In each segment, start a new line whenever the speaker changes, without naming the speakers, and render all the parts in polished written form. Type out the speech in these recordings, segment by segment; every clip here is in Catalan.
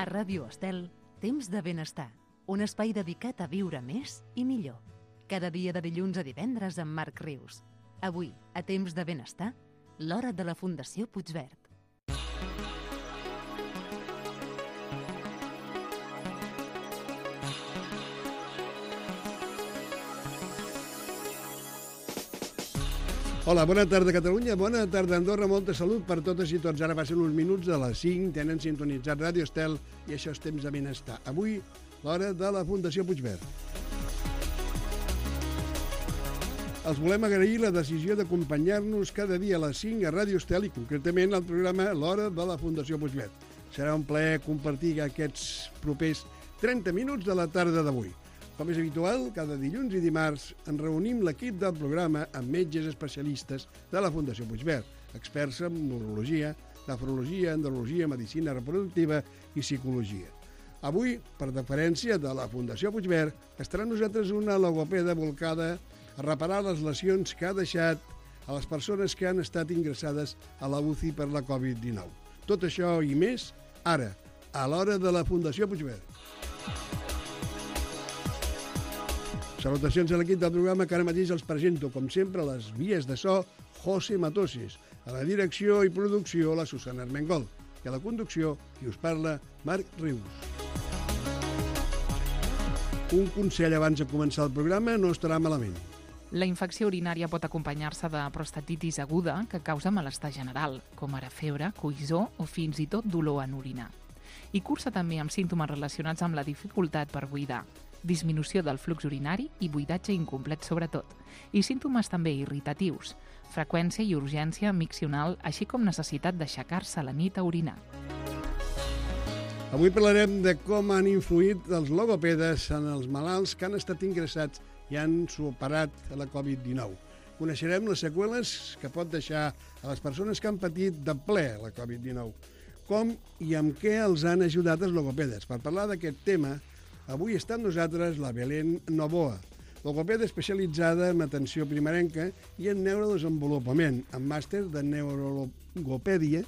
A Ràdio Estel, Temps de Benestar, un espai dedicat a viure més i millor. Cada dia de dilluns a divendres amb Marc Rius. Avui, a Temps de Benestar, l'hora de la Fundació Puigverd.
Hola, bona tarda Catalunya, bona tarda Andorra, molta salut per totes i tots. Ara passen uns minuts de les 5, tenen sintonitzat Ràdio Estel i això és Temps de Benestar. Avui, l'hora de la Fundació Puigverd. Els volem agrair la decisió d'acompanyar-nos cada dia a les 5 a Ràdio Estel i concretament al programa L'Hora de la Fundació Puigverd. Serà un plaer compartir aquests propers 30 minuts de la tarda d'avui. Com és habitual, cada dilluns i dimarts ens reunim l'equip del programa amb metges especialistes de la Fundació Puigverd, experts en neurologia, nefrologia, andrologia, medicina reproductiva i psicologia. Avui, per deferència de la Fundació Puigverd, estarà amb nosaltres una logopeda volcada a reparar les lesions que ha deixat a les persones que han estat ingressades a la UCI per la Covid-19. Tot això i més, ara, a l'hora de la Fundació Puigverd. Salutacions a l'equip del programa que ara mateix els presento, com sempre, a les vies de so, José Matoses, a la direcció i producció, la Susana Armengol, i a la conducció, qui us parla, Marc Rius. Un consell abans de començar el programa no estarà malament.
La infecció urinària pot acompanyar-se de prostatitis aguda que causa malestar general, com ara febre, coïssor o fins i tot dolor en orinar. I cursa també amb símptomes relacionats amb la dificultat per buidar, disminució del flux urinari i buidatge incomplet sobretot, i símptomes també irritatius, freqüència i urgència miccional, així com necessitat d'aixecar-se a la nit a orinar.
Avui parlarem de com han influït els logopedes en els malalts que han estat ingressats i han superat la Covid-19. Coneixerem les seqüeles que pot deixar a les persones que han patit de ple la Covid-19. Com i amb què els han ajudat els logopedes? Per parlar d'aquest tema, avui està amb nosaltres la Belén Novoa, logopeda especialitzada en atenció primerenca i en neurodesenvolupament, amb màster de neurologopèdia.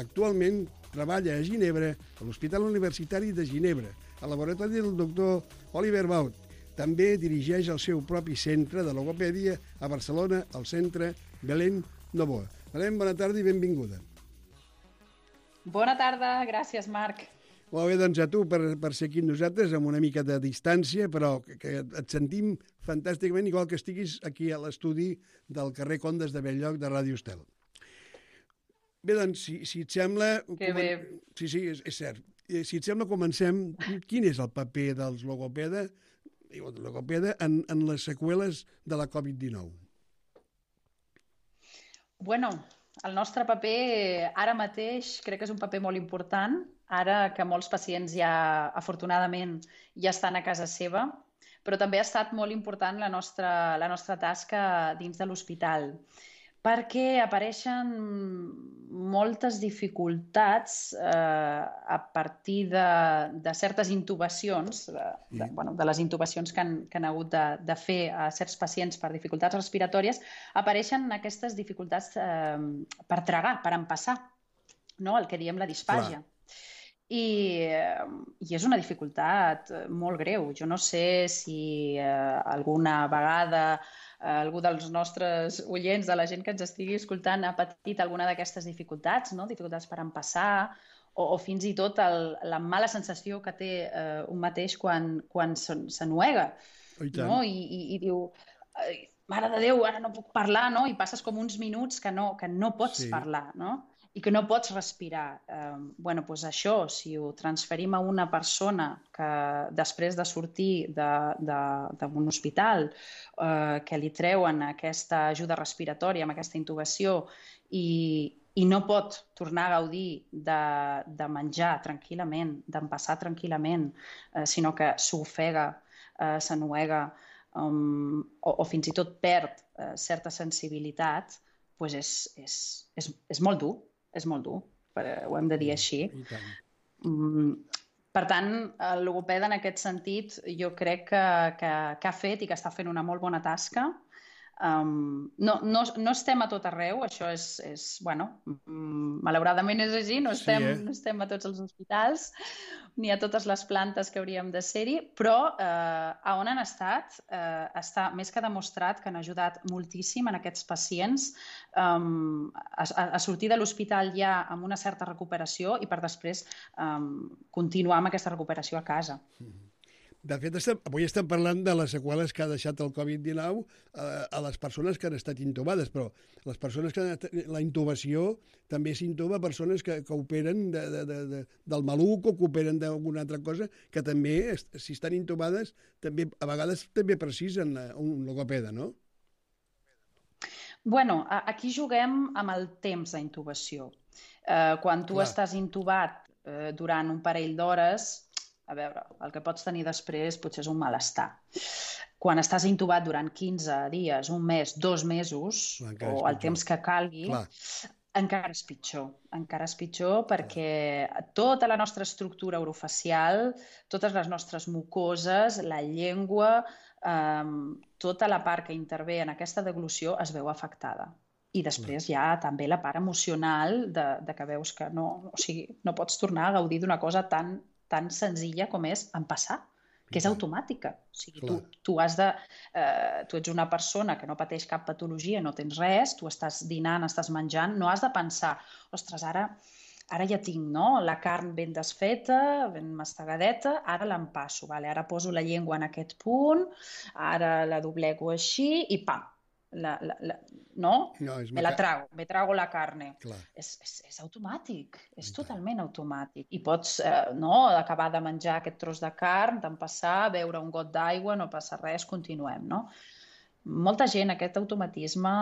Actualment treballa a Ginebra, a l'Hospital Universitari de Ginebra, al laboratori del doctor Oliver Baut. També dirigeix el seu propi centre de logopèdia a Barcelona, al centre Belén Novoa. Belén, bona tarda i benvinguda.
Bona tarda, gràcies, Marc.
Molt bé, doncs a tu per ser aquí amb nosaltres, amb una mica de distància, però que et sentim fantàsticament, igual que estiguis aquí a l'estudi del carrer Condes de Belllloc de Ràdio Estel. Bé, doncs, si et sembla...
Que bé.
Sí, és cert. Si et sembla, comencem. Quin és el paper dels logopeda en les seqüeles de la Covid-19?
Bueno, el nostre paper ara mateix crec que és un paper molt important, ara que molts pacients ja, afortunadament, ja estan a casa seva, però també ha estat molt important la nostra tasca dins de l'hospital, perquè apareixen moltes dificultats a partir de certes intubacions, de les intubacions que han hagut de fer a certs pacients per dificultats respiratòries, apareixen aquestes dificultats per tragar, per empassar, no? El que diem la disfàgia. I és una dificultat molt greu. Jo no sé si alguna vegada algú dels nostres oients, de la gent que ens estigui escoltant, ha patit alguna d'aquestes dificultats, no? Dificultats per empassar o fins i tot la mala sensació que té un mateix quan s'ennuega, no? I diu, mare de Déu, ara no puc parlar, no? I passes com uns minuts que no pots parlar, no? I que no pots respirar. Doncs això, si ho transferim a una persona que després de sortir d'un hospital, que li treuen aquesta ajuda respiratòria amb aquesta intubació i no pot tornar a gaudir de menjar tranquil·lament, d'empassar tranquil·lament, sinó que s'ofega, s'ennuega o fins i tot perd certa sensibilitat, doncs és molt dur. És molt dur, ho hem de dir així. Per tant, el logopeda en aquest sentit jo crec que ha fet i que està fent una molt bona tasca No estem a tot arreu, això malauradament és així, no estem a tots els hospitals ni a totes les plantes que hauríem de ser-hi, però a on han estat està més que demostrat que han ajudat moltíssim en aquests pacients a sortir de l'hospital ja amb una certa recuperació i per després continuar amb aquesta recuperació a casa.
De fet, avui estem parlant de les seqüeles que ha deixat el Covid-19 a les persones que han estat intubades, però les persones que la intubació també s'intuba persones que operen del maluc o que operen d'alguna altra cosa, que també, si estan intubades, també a vegades també precisen un logopeda, no?
Bueno, aquí juguem amb el temps d'intubació. Quan tu estàs intubat durant un parell d'hores, a veure, el que pots tenir després potser és un malestar. Quan estàs intubat durant 15 dies, un mes, 2 mesos, o el temps que calgui, encara és pitjor. Encara és pitjor perquè tota la nostra estructura orofacial, totes les nostres mucoses, la llengua, tota la part que intervé en aquesta deglució es veu afectada. I després hi ha també la part emocional de que veus que no pots tornar a gaudir d'una cosa tan senzilla com és empassar, que és automàtica. O sigui, tu ets una persona que no pateix cap patologia, no tens res, tu estàs dinant, estàs menjant, no has de pensar, ostres, ara ja tinc la carn ben desfeta, ben mastegadeta, ara l'empasso, ara poso la llengua en aquest punt, ara la doblego així i pam, me trago la carne. És automàtic, és totalment automàtic. I pots acabar de menjar aquest tros de carn, d'empassar, beure un got d'aigua, no passa res, continuem, no? Molta gent, aquest automatisme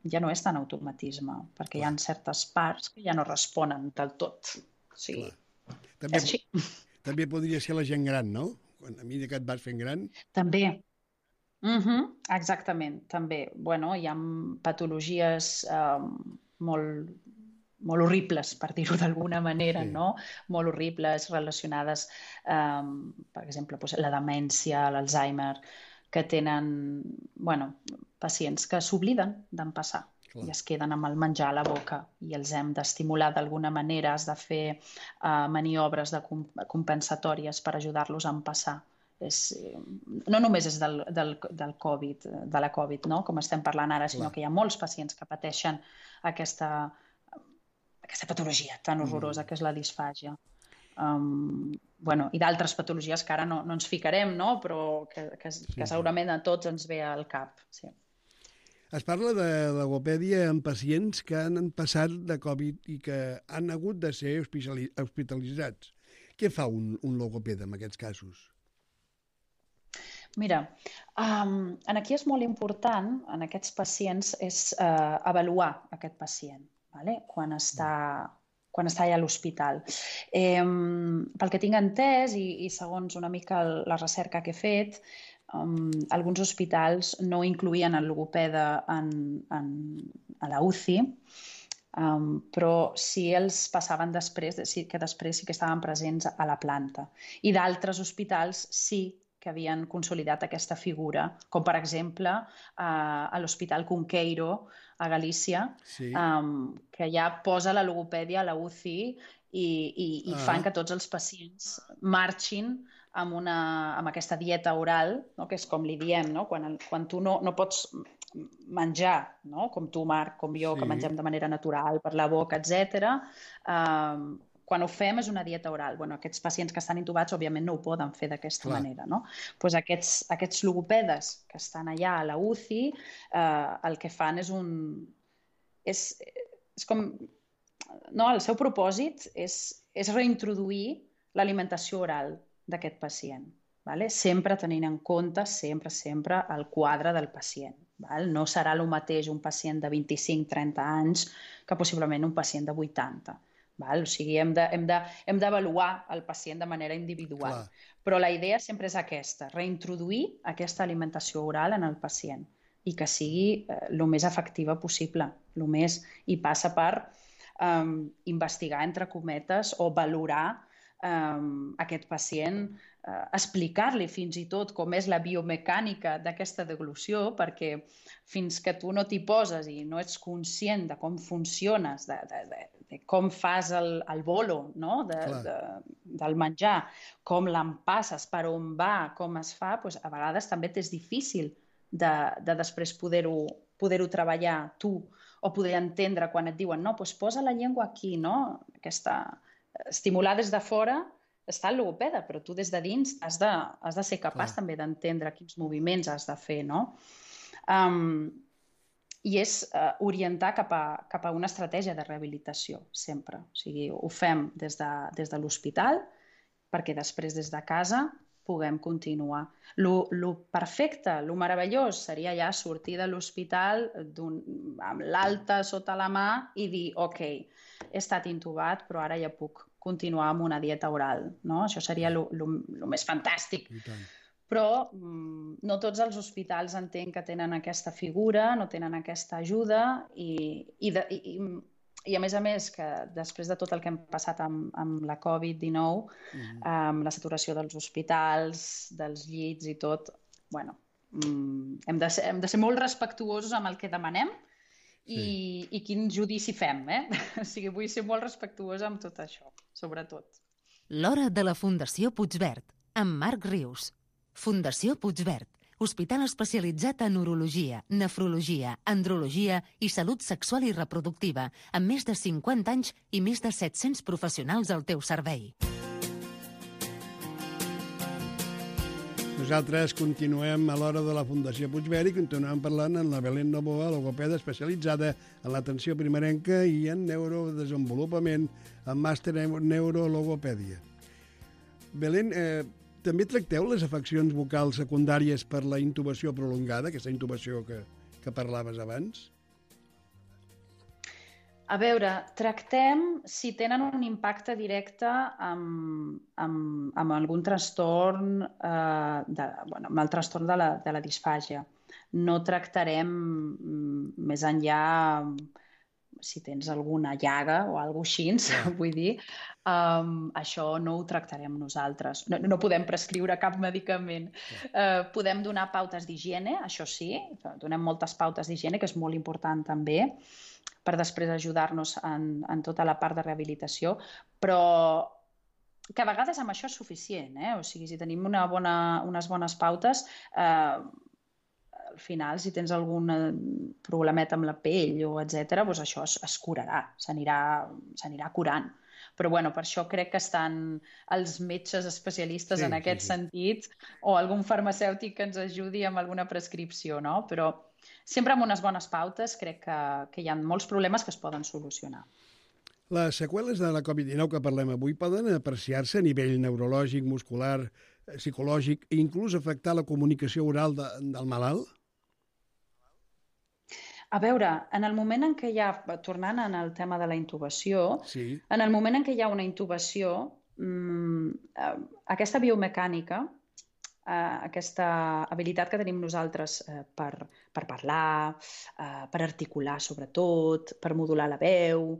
ja no és tan automatisme, perquè hi ha certes parts que ja no responen del tot. O sigui, és així.
També podria ser la gent gran, no? A mesura que et vas fent gran.
També. Exactament, també. Bueno, hi ha patologies molt horribles, per dir-ho d'alguna manera, no? Molt horribles, relacionades, per exemple, la demència, l'Alzheimer, que tenen pacients que s'obliden d'empassar i es queden amb el menjar a la boca i els hem d'estimular d'alguna manera, has de fer maniobres compensatòries per ajudar-los a empassar. No només és del Covid, de la Covid, com estem parlant ara, sinó que hi ha molts pacients que pateixen aquesta patologia tan horrorosa que és la disfàgia. I d'altres patologies que ara no ens ficarem, però que segurament a tots ens ve al cap.
Es parla de logopèdia en pacients que han passat de Covid i que han hagut de ser hospitalitzats. Què fa un logopeda en aquests casos?
Mira, aquí és molt important, en aquests pacients, és avaluar aquest pacient, quan està ja a l'hospital. Pel que tinc entès, i segons una mica la recerca que he fet, alguns hospitals no incloïen el logopeda a la UCI, però sí els passaven després, que després sí que estaven presents a la planta. I d'altres hospitals sí que havien consolidat aquesta figura, com per exemple a l'Hospital Cunqueiro, a Galícia, que ja posa la logopèdia a la UCI i fan que tots els pacients marxin amb aquesta dieta oral, que és com li diem, quan tu no pots menjar, com tu, Marc, com jo, que mengem de manera natural per la boca, etc. Quan ho fem és una dieta oral. Aquests pacients que estan intubats, òbviament, no ho poden fer d'aquesta manera. Doncs aquests logopedes que estan allà a la UCI, el que fan és com... El seu propòsit és reintroduir l'alimentació oral d'aquest pacient, sempre tenint en compte, sempre, el quadre del pacient. No serà el mateix un pacient de 25-30 anys que possiblement un pacient de 80. O sigui, hem d'avaluar el pacient de manera individual. Però la idea sempre és aquesta, reintroduir aquesta alimentació oral en el pacient i que sigui el més efectiva possible. I passa per investigar, entre cometes, o valorar aquest pacient, explicar-li fins i tot com és la biomecànica d'aquesta deglució, perquè fins que tu no t'hi poses i no ets conscient de com funciones, de com fas el bolo, no? Del menjar, com l'empasses, per on va, com es fa, doncs a vegades també t'és difícil de després poder-ho treballar tu, o poder entendre quan et diuen no, doncs posa la llengua aquí, no? Estimular des de fora està el logopeda, però tu des de dins has de ser capaç també d'entendre quins moviments has de fer, no? I és orientar cap a una estratègia de rehabilitació, sempre. O sigui, ho fem des de l'hospital, perquè després des de casa puguem continuar. Lo perfecte, lo meravellós seria ja sortir de l'hospital amb l'alta sota la mà i dir, ok, he estat intubat, però ara ja puc continuar amb una dieta oral, no? Això seria lo més fantàstic. Però no tots els hospitals entenc que tenen aquesta figura, no tenen aquesta ajuda i a més, que després de tot el que hem passat amb la Covid-19, amb la saturació dels hospitals, dels llits i tot, bueno, hem de ser molt respectuosos amb el que demanem i quin judici fem, eh? O sigui, vull ser molt respectuosa amb tot això, sobretot.
L'hora de la Fundació Puigverd, amb Marc Rius. Fundació Puigverd, hospital especialitzat en urologia, nefrologia, andrologia i salut sexual i reproductiva, amb més de 50 anys i més de 700 professionals al teu servei.
Nosaltres continuem a l'hora de la Fundació Puigverd i continuem parlant amb la Belén Novoa, logopeda especialitzada en l'atenció primerenca i en neurodesenvolupament, amb màster en neurologopèdia. Belén, també tracteu les afeccions vocals secundàries per la intubació prolongada, aquesta intubació que parlaves abans?
A veure, tractem si tenen un impacte directe amb algun trastorn, amb el trastorn de la disfàgia. No tractarem més enllà si tens alguna llaga o alguna cosa així, vull dir, això no ho tractarem nosaltres. No podem prescriure cap medicament. Podem donar pautes d'higiene, això sí, donem moltes pautes d'higiene, que és molt important també, per després ajudar-nos en tota la part de rehabilitació, però que a vegades amb això és suficient, eh? O sigui, si tenim unes bones pautes, al final, si tens algun problemeta amb la pell o etc., doncs això es curarà, s'anirà curant. Però bueno, per això crec que estan els metges especialistes en aquest sentit o algun farmacèutic que ens ajudi amb alguna prescripció, no? Però sempre amb unes bones pautes crec que hi ha molts problemes que es poden solucionar.
Les seqüeles de la Covid-19 que parlem avui poden apreciar-se a nivell neurològic, muscular, psicològic i inclús afectar la comunicació oral del malalt?
A veure, en el moment en què hi ha, tornant al tema de la intubació, en el moment en què hi ha una intubació, aquesta biomecànica, aquesta habilitat que tenim nosaltres per parlar, per articular sobretot, per modular la veu,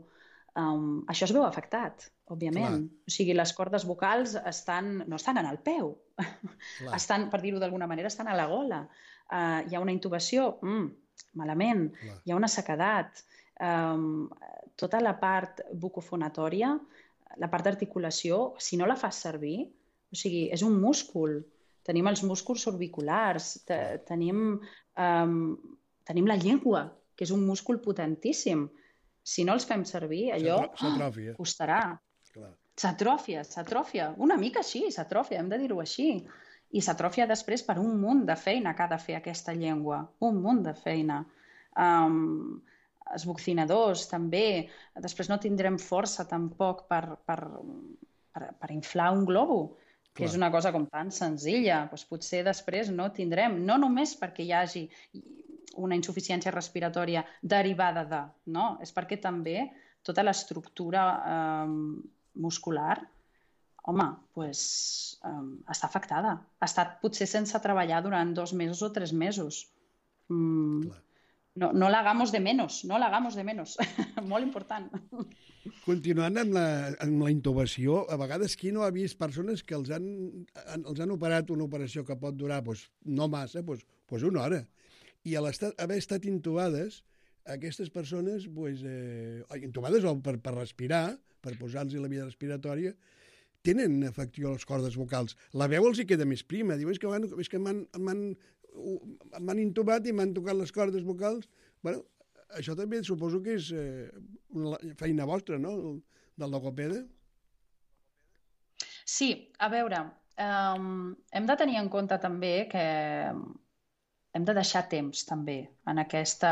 això es veu afectat, òbviament. O sigui, les cordes vocals no estan en el peu, estan, per dir-ho d'alguna manera, estan a la gola. Hi ha una intubació, malament, hi ha una sequedat. Tota la part bucofonatòria, la part d'articulació, si no la fas servir, o sigui, és un múscul. Tenim els músculs orbiculars, tenim la llengua, que és un múscul potentíssim. Si no els fem servir, allò costarà. S'atròfia. Una mica així, s'atròfia, hem de dir-ho així. I s'atròfia després per un munt de feina que ha de fer aquesta llengua. Un munt de feina. Els buccinadors, també. Després no tindrem força tampoc per inflar un globo, que és una cosa com tan senzilla. Doncs potser després no tindrem, no només perquè hi hagi una insuficiència respiratòria derivada de, no? És perquè també tota l'estructura muscular, home, doncs està afectada. Ha estat potser sense treballar durant 2 mesos o 3 mesos. no la hagamos de menos, no la hagamos de menos. Molt important.
Continuant amb la intubació, a vegades qui no ha vist persones que els han operat una operació que pot durar no massa, una hora. I a haver estat intubades, aquestes persones, intubades per respirar, per posar-los la via respiratòria, tenen afecció a les cordes vocals. La veu els hi queda més prima. Diu, és que m'han intubat i m'han tocat les cordes vocals. Bueno, això també suposo que és una feina vostra, no?, del logopeda.
Sí, a veure, hem de tenir en compte també que hem de deixar temps també en aquest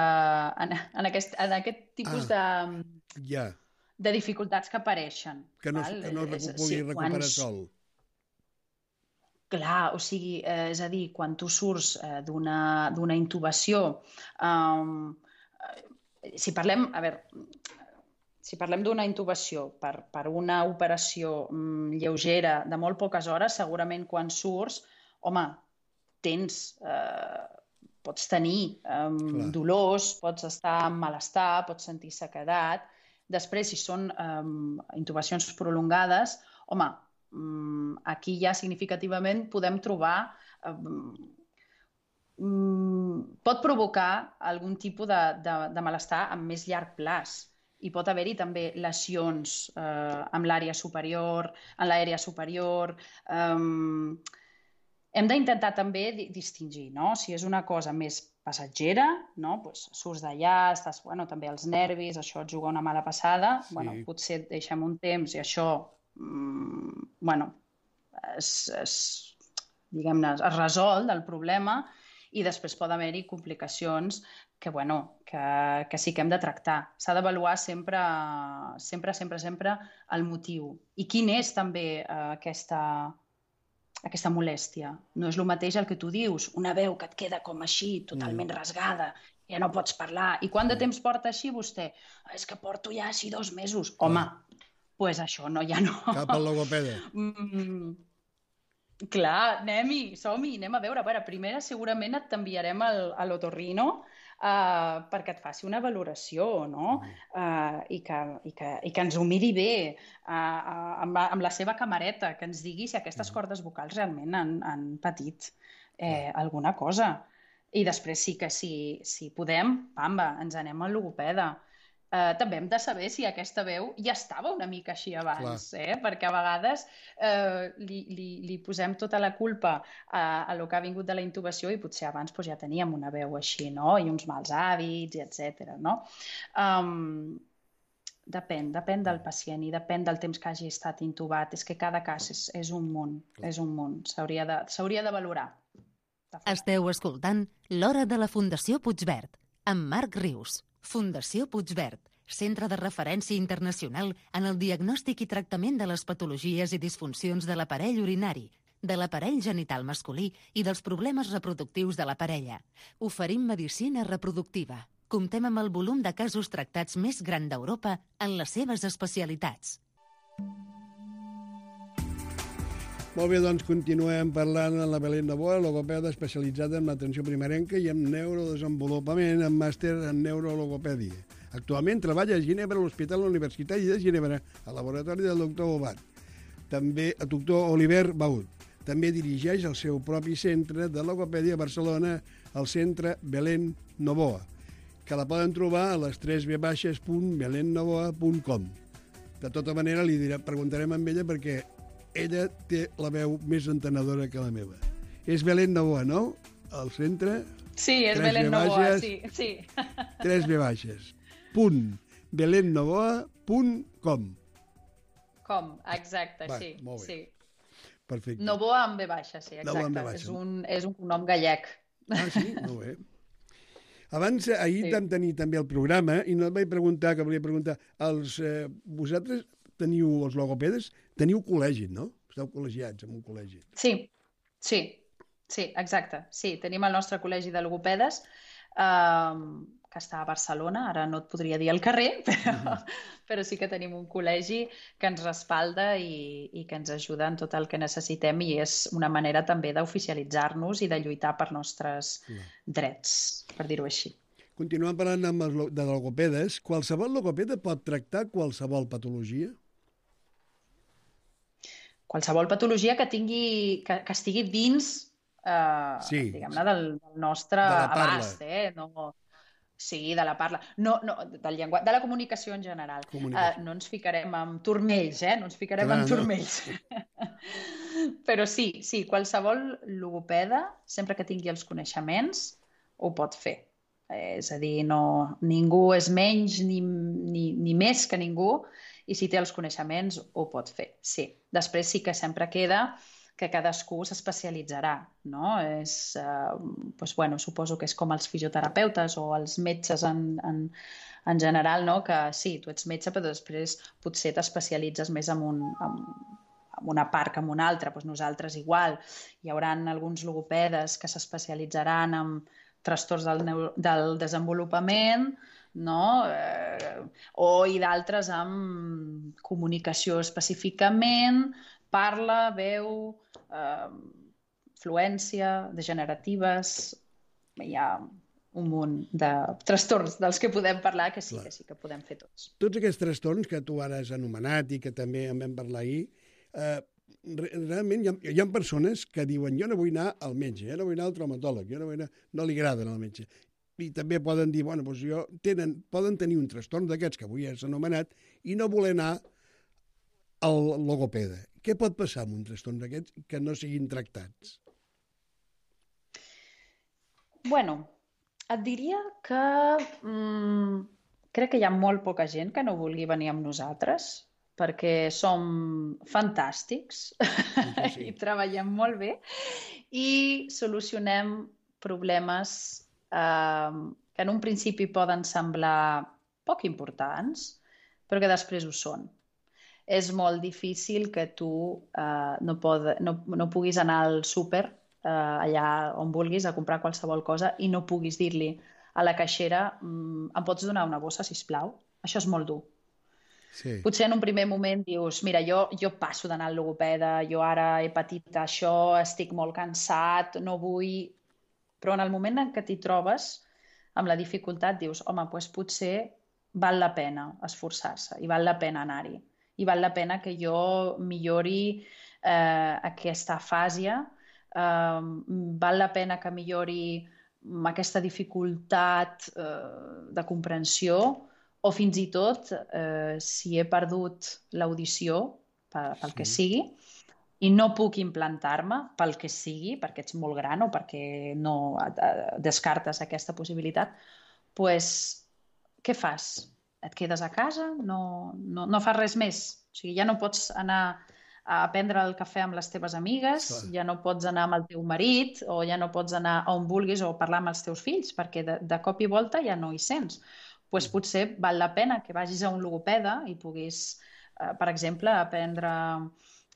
tipus de dificultats que apareixen.
Que no pugui recuperar sol.
Clar, o sigui, és a dir, quan tu surts d'una intubació, si parlem d'una intubació per una operació lleugera de molt poques hores, segurament quan surts, home, pots tenir dolors, pots estar en malestar, pots sentir sequedat. Després, si són intubacions prolongades, home, aquí ja significativament podem trobar... pot provocar algun tipus de malestar a més llarg plaç. I pot haver-hi també lesions en l'àrea superior, en l'aèria superior. Hem d'intentar també distingir, no? Si és una cosa més passatgera, no? Pues surts d'allà, estàs, també els nervis, això et juga una mala passada, potser et deixem un temps i això diguem-ne, es resol del problema i després pot haver-hi complicacions que sí que hem de tractar. S'ha d'avaluar sempre el motiu. I quin és també aquesta molèstia. No és el mateix el que tu dius, una veu que et queda com així, totalment rasgada, ja no pots parlar. I quant de temps porta així vostè? És que porto ja així 2 mesos. Home, doncs això ja no.
Cap al logopeda.
Clar, anem-hi, som-hi, anem a veure. Primer segurament et t'enviarem a l'otorrino perquè et faci una valoració, no? I que ens ho miri bé amb la seva camareta, que ens digui si aquestes cordes vocals realment han patit alguna cosa. I després sí que si podem, pamba, ens anem al logopeda. També hem de saber si aquesta veu ja estava una mica així abans, perquè a vegades li posem tota la culpa a lo que ha vingut de la intubació i potser abans ja teníem una veu així, no? I uns mals hàbits, etc. Depèn del pacient i depèn del temps que hagi estat intubat. És que cada cas és un món, s'hauria de valorar.
Esteu escoltant L'Hora de la Fundació Puigverd, amb Marc Rius. Fundació Puigverd, centre de referència internacional en el diagnòstic i tractament de les patologies i disfuncions de l'aparell urinari, de l'aparell genital masculí i dels problemes reproductius de la parella. Oferim medicina reproductiva. Comptem amb el volum de casos tractats més gran d'Europa en les seves especialitats.
Molt bé, doncs continuem parlant amb la Belén Novoa, logopeda especialitzada en l'atenció primerenca i en neurodesenvolupament, amb màster en neurologopèdia. Actualment treballa a Ginebra, a l'Hospital Universitari de Ginebra, al laboratori del doctor Obat. També el doctor Oliver Baud. També dirigeix el seu propi centre de logopèdia a Barcelona, el centre Belén Novoa, que la poden trobar a les 3v.belennovoa.com. De tota manera, preguntarem amb ella perquè ella té la veu més entenedora que la meva. És Belén Novoa, no? El centre...
Sí, és Belén Novoa, sí.
3v. .belennovoa.com.
Exacte, sí.
Molt bé. Perfecte.
Novoa amb V baixa, sí, exacte. És un cognom gallec.
Ah, sí? Molt bé. Abans, ahir vam tenir també el programa i no et vaig preguntar, que volia preguntar, vosaltres teniu, els logopedes, teniu col·legi, no? Esteu col·legiats en un col·legi.
Sí, exacte. Sí, tenim el nostre col·legi de logopedes, que està a Barcelona, ara no et podria dir al carrer, però sí que tenim un col·legi que ens respalda i que ens ajuda en tot el que necessitem i és una manera també d'oficialitzar-nos i de lluitar per nostres drets, per dir-ho així.
Continuant parlant de logopedes, qualsevol logopeda pot tractar qualsevol patologia?
Qualsevol patologia que estigui dins, diguem-ne, del nostre abast, no... Sí, de la parla. No, del llenguatge, de la comunicació en general. No ens ficarem amb turmells, no ens ficarem amb turmells. Però sí, qualsevol logopeda, sempre que tingui els coneixements, ho pot fer. És a dir, ningú és menys ni més que ningú, i si té els coneixements ho pot fer, sí. Després sí que sempre queda que cadascú s'especialitzarà, no? Suposo que és com els fisioterapeutes o els metges en general, no? Que sí, tu ets metge, però després potser t'especialitzes més en una part que en una altra. Nosaltres igual. Hi haurà alguns logopedes que s'especialitzaran en trastorns del desenvolupament, no? I d'altres amb comunicació específicament, parla, veu, fluència, degeneratives... Hi ha un munt de trastorns dels que podem parlar, que sí que podem fer tots.
Tots aquests trastorns que tu ara has anomenat i que també en vam parlar ahir, realment hi ha persones que diuen jo no vull anar al metge, no vull anar al traumatòleg, no li agrada anar al metge. I també poden dir, poden tenir un trastorn d'aquests que avui has anomenat i no voler anar al logopeda. Què pot passar amb un trastorn d'aquests que no siguin tractats?
Et diria que crec que hi ha molt poca gent que no vulgui venir amb nosaltres, perquè som fantàstics i treballem molt bé i solucionem problemes que en un principi poden semblar poc importants, però que després ho són. És molt difícil que tu no puguis anar al súper allà on vulguis a comprar qualsevol cosa i no puguis dir-li a la caixera em pots donar una bossa, sisplau? Això és molt dur.
Sí.
Potser en un primer moment dius mira, jo passo d'anar al logopeda, jo ara he patit això, estic molt cansat, no vull... Però en el moment en què t'hi trobes amb la dificultat dius home, doncs potser val la pena esforçar-se i val la pena anar-hi. I val la pena que jo millori aquesta afàsia, val la pena que millori aquesta dificultat de comprensió o fins i tot si he perdut l'audició pel que sigui i no puc implantar-me pel que sigui, perquè ets molt gran o perquè no descartes aquesta possibilitat, doncs què fas? Et quedes a casa? No fas res més? O sigui, ja no pots anar a prendre el cafè amb les teves amigues, ja no pots anar amb el teu marit o ja no pots anar on vulguis o parlar amb els teus fills, perquè de cop i volta ja no hi sents. Doncs potser val la pena que vagis a un logopeda i puguis, per exemple, aprendre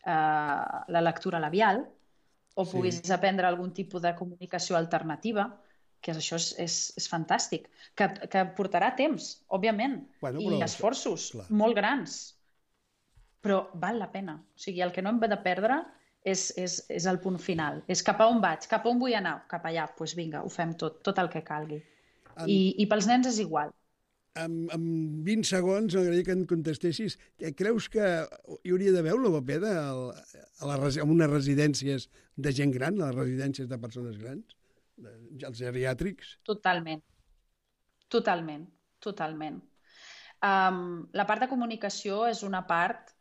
la lectura labial o puguis aprendre algun tipus de comunicació alternativa, que això és fantàstic, que portarà temps, òbviament, i esforços molt grans, però val la pena. O sigui, el que no hem de perdre és el punt final. És cap a on vaig, cap a on vull anar, cap allà, doncs vinga, ho fem tot el que calgui. I pels nens és igual.
En 20 segons m'agradaria que em contestessis. Creus que hi hauria d'haver un logopeda en unes residències de gent gran, a les residències de persones grans? Els geriàtrics? Totalment.
La part de comunicació és una part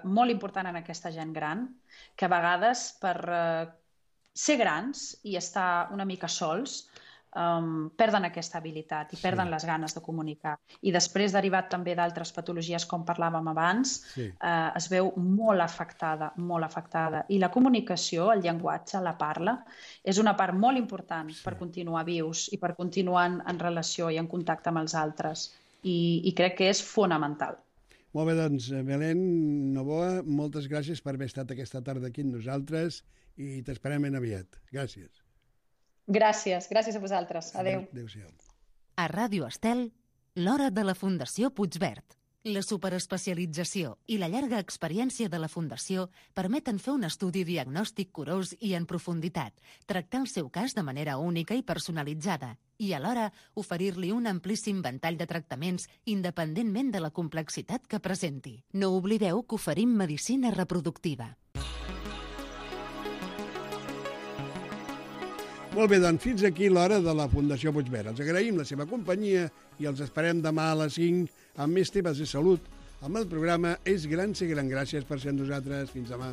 molt important en aquesta gent gran, que a vegades per ser grans i estar una mica sols perden aquesta habilitat i perden les ganes de comunicar. I després, derivat també d'altres patologies, com parlàvem abans, es veu molt afectada. I la comunicació, el llenguatge, la parla, és una part molt important per continuar vius i per continuar en relació i en contacte amb els altres. I crec que és fonamental.
Molt bé, doncs, Belén Novoa, moltes gràcies per haver estat aquesta tarda aquí amb nosaltres i t'esperem ben aviat. Gràcies.
Gràcies a vosaltres. Adéu.
Adéu-siau.
A Ràdio Estel, l'hora de la Fundació Puigverd. La superespecialització i la llarga experiència de la Fundació permeten fer un estudi diagnòstic curós i en profunditat, tractar el seu cas de manera única i personalitzada i, alhora, oferir-li un amplíssim ventall de tractaments independentment de la complexitat que presenti. No oblideu que oferim medicina reproductiva.
Molt bé, doncs fins aquí l'hora de la Fundació Puigverd. Els agraïm la seva companyia i els esperem demà a les 5 amb més temes de salut. Amb el programa És Gran Ser Gran. Gràcies per ser amb nosaltres. Fins demà.